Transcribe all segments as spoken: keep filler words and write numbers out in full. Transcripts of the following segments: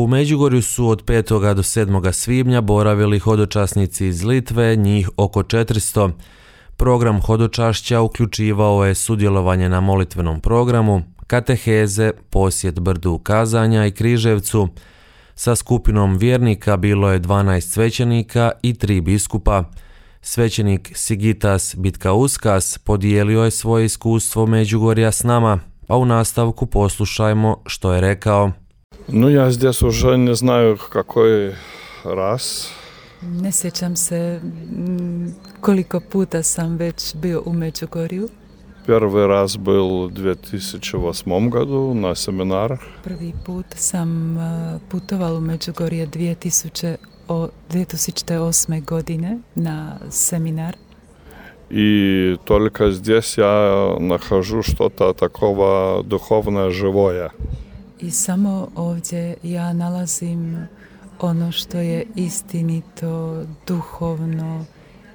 U Međugorju su od petog do sedmog svibnja boravili hodočasnici iz Litve, njih oko četiristo. Program hodočašća uključivao je sudjelovanje na molitvenom programu, kateheze, posjet Brdu Kazanja i Križevcu. Sa skupinom vjernika bilo je dvanaest svećenika i tri biskupa. Svećenik Sigitas Bitkauskas podijelio je svoje iskustvo Međugorja s nama, a u nastavku poslušajmo što je rekao. No, ja zdjes уже ne znaju kakoj raz. Ne sjećam se koliko puta sam već bio u Međugorju. Prvi raz bil u dvije tisuće osmom godu na seminar. Prvi put sam putoval u Međugorje dvije tisuće osme godine na seminar. I только здесь я нахожу что-то такого духовно живое. I samo ovdje ja nalazim ono što je istinito, duhovno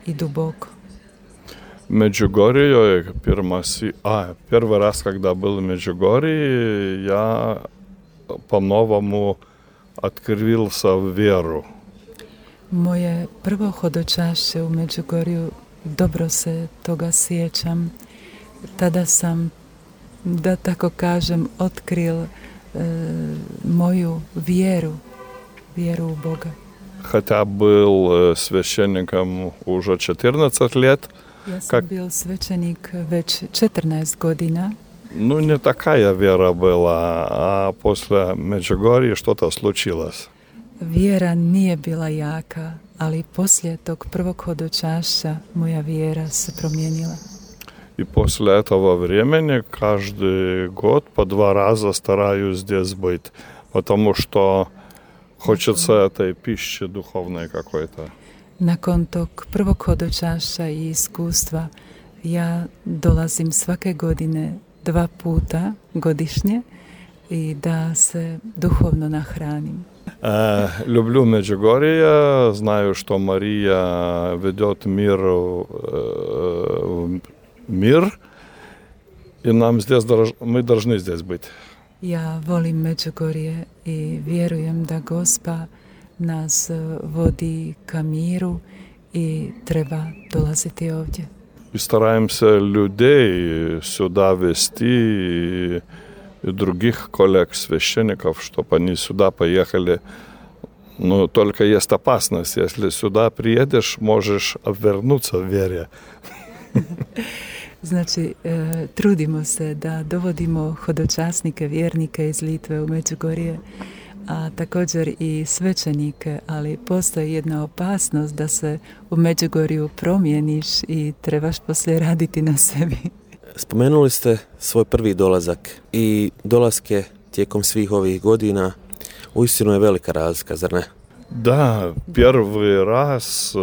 i duboko. Međugorje je prva si, a prvi raz kada byl u Međugorju, ja po-novomu otkril sam vjeru. Moje prvo hodočašće u Međugorju, dobro se toga sjećam. Tada sam, da tako kažem, otkril e, moju vjeru, vjeru u Boga. Хотя был священником уже четырнадцать лет. Ja sam bil svećenik već četrnaest godina. Ну, не такая вера была, а после Međugorja что-то случилось. Vjera nije bila jaka, ali poslije tog prvog hodočašća moja vjera se promijenila. И после этого времени каждый год по два раза стараюсь здесь быть, потому что хочется этой пищи духовной какой-то. Nakon tog prvog hodočašća i iskustva ja dolazim svake godine dva puta godišnje i da se duhovno nahranim. Э, люблю Međugorje, знаю, что Мария ведет мир, э, мир, и нам здесь, мы должны здесь быть. Ja volim Međugorje i vjerujem da Gospa nas vodi ka miru i treba dolaziti ovdje. И стараемся людей сюда вести, и, и других коллег, священников, чтобы они сюда поехали. Но только есть опасность, если сюда приедешь, можешь обвернуться в вере. Znači, e, trudimo se da dovodimo hodočasnike, vjernike iz Litve u Međugorje, a također i svećenike, ali postoji jedna opasnost da se u Međugorju promijeniš i trebaš poslije raditi na sebi. Spomenuli ste svoj prvi dolazak i dolaske tijekom svih ovih godina. Uistinu je velika razlika, zar ne? Да, первый раз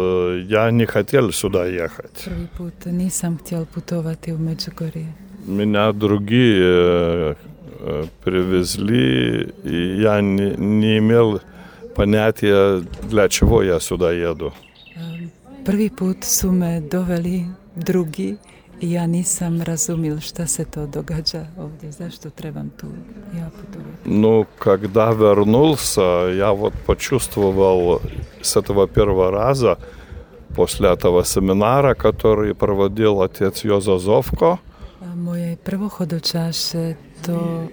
я не хотел сюда ехать. Prvi put nisam htjel putovati u Međugorje. Меня другие привезли, и я не, не имел понятия, для чего я сюда еду. Prvi put su me doveli drugi i ja nisam razumil šta se to događa ovdje, zašto trebam tu ja putovati. Ну, когда вернулся, я вот почувствовал с этого первого раза, после этого семинара, который проводил отец Jozo Zovko. Moje prvo hodočašće, to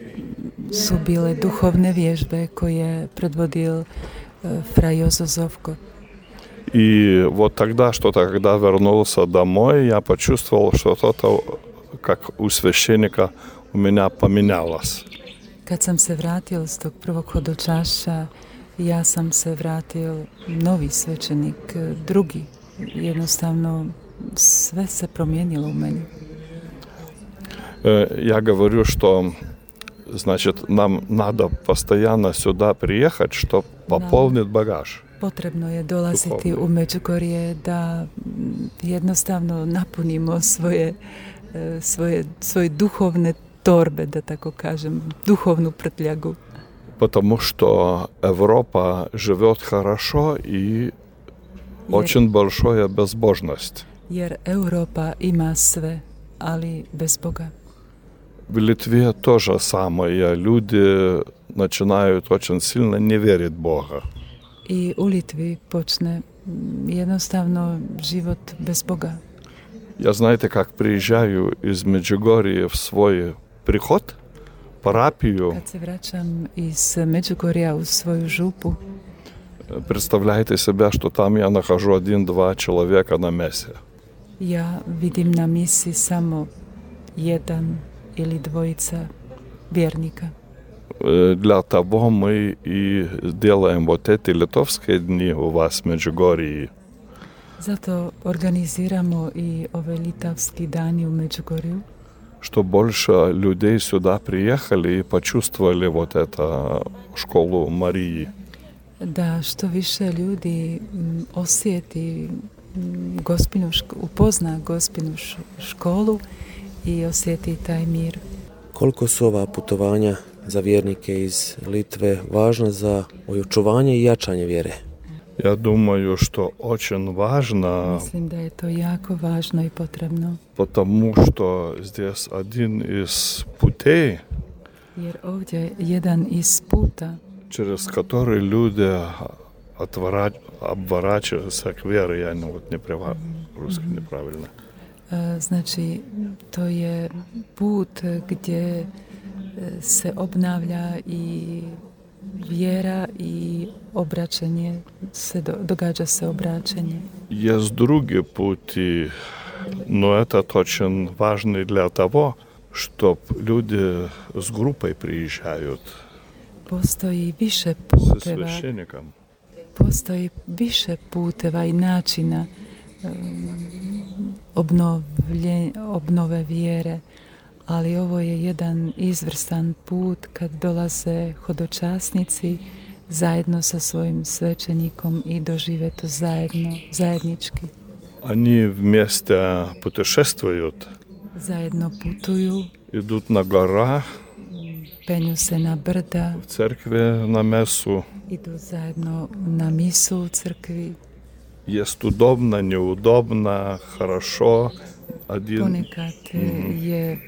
su bile duhovne vježbe koje je predvodio fra Jozo Zovko. И вот тогда что-то, когда вернулся домой, я почувствовал, что что-то, как у священника, у меня поменялось. Kad sam se vratio s tog prvog hodočašća, ja sam se vratio novi svećenik, drugi. Jednostavno, sve se promijenilo u meni. Я говорю, что, значит, нам надо постоянно сюда приехать, чтобы пополнить багаж. Potrebno je dolaziti u Međugorje da jednostavno napunimo svoje, svoje, svoje duhovne torbe, da tako kažem, duhovnu prtljagu. Потому что Европа живет хорошо и очень большая безбожность. Jer Europa ima sve, ali bez Boga. В Литве то же самое. Люди начинают очень сильно не верить в Бога. I u Litvi počne jednostavno život bez Boga. Я, знаете, как приезжаю из Меджугорья в свой приход, парапию. Kad se vraćam iz Međugorja u svoju župu, Представляете себя, что там я нахожу один-два человека на мессе. ja vidim na misi samo jedan ili dvojica vjernika. Для того мы и делаем вот эти литовские дни у вас в Меджугорье. Zato organiziramo i ove litavski dani u Međugorju, Что больше людей сюда приехали и почувствовали вот эту школу Марии. da što više ljudi m, osjeti m, gospinu, šk- upozna gospinu š- školu i osjeti taj mir. Koliko su ova putovanja za vjernike iz Litve važna za očuvanje i jačanje vjere? Я думаю, что очень важно, Mislim da je to jako važno i potrebno, потому что здесь один из путей, jer ovdje jedan iz puta через который люди отвора- обворачиваются к вере. Я не, вот не права, русский неправильно. e, znači to je put gdje e, se obnavlja i vjera i obraćanje, se do, događa se obraćanje. Есть другие пути, но этот очень важный для того, чтобы люди с группой приезжают, Postoji više со puteva, священником. postoji više puteva i načina um, obnovlje, obnove vjere, ali ovo je jedan izvrstan put kad dolaze hodočasnici zajedno sa svojim svećenikom i dožive to zajedno, zajednički. Они вместе путешествуют, Zajedno putuju, идут на горах, penju se na brda, в церкви на мессу. idu zajedno na misu u crkvi. Есть удобно, неудобно, хорошо. Один. Ponekad je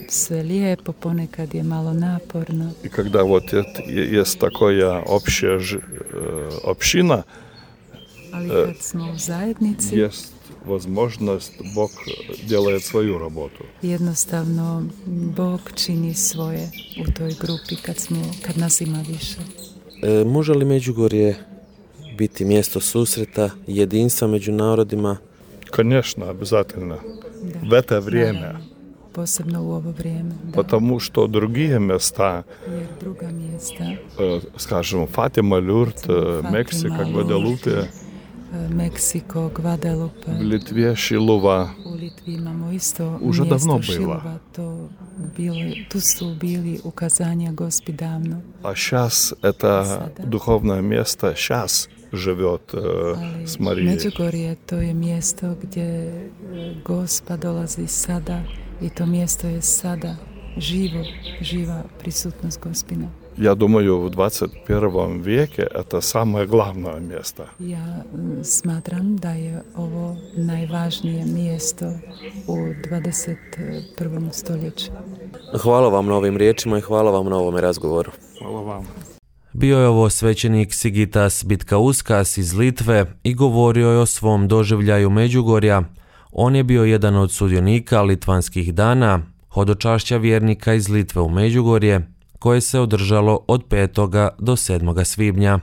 sve lijepo, ponekad je malo naporno. И когда вот это, есть такая общая ж- э, община, Ali kad smo u zajednici, есть возможность, Бог делает свою работу. jednostavno Bog čini svoje u toj grupi kad, smo, kad nas ima više. E, može li Međugorje biti mjesto susreta, jedinstva među narodima? Конечно, обязательно. Da. В это время. Naravno, posebno u ovo vrijeme. Da. Потому что другие места, Jer druga mjesta, э, скажем, Фатима, Люрт, э, Fatima, Мексика, Lourdes, Гваделупе, e, Meksiko, Guadalupe, в Литве, Шилова. u Litvi imamo isto Уже mjesto давно было. Šilova. To bilo, tu su bili ukazanja Gospi davno. А сейчас это Sada. духовное место сейчас живет э, Ali с Марией. Međugorje to je mjesto gdje e, Gospa dolazi sada i to mjesto je sada živo, živa prisutnost Gospina. Я думаю, в двадцать первом веке это самое главное место. Ja m, smatram da je ovo najvažnije mjesto u dvadeset prvom stoljeću. Hvala vam na ovim riječima i hvala vam na ovome razgovoru. Hvala vam. Bio je ovo svećenik Sigitas Bitkauskas iz Litve i govorio je o svom doživljaju Međugorja. On je bio jedan od sudionika Litvanskih dana, hodočašća vjernika iz Litve u Međugorje, koje se održalo od petoga do sedmoga svibnja.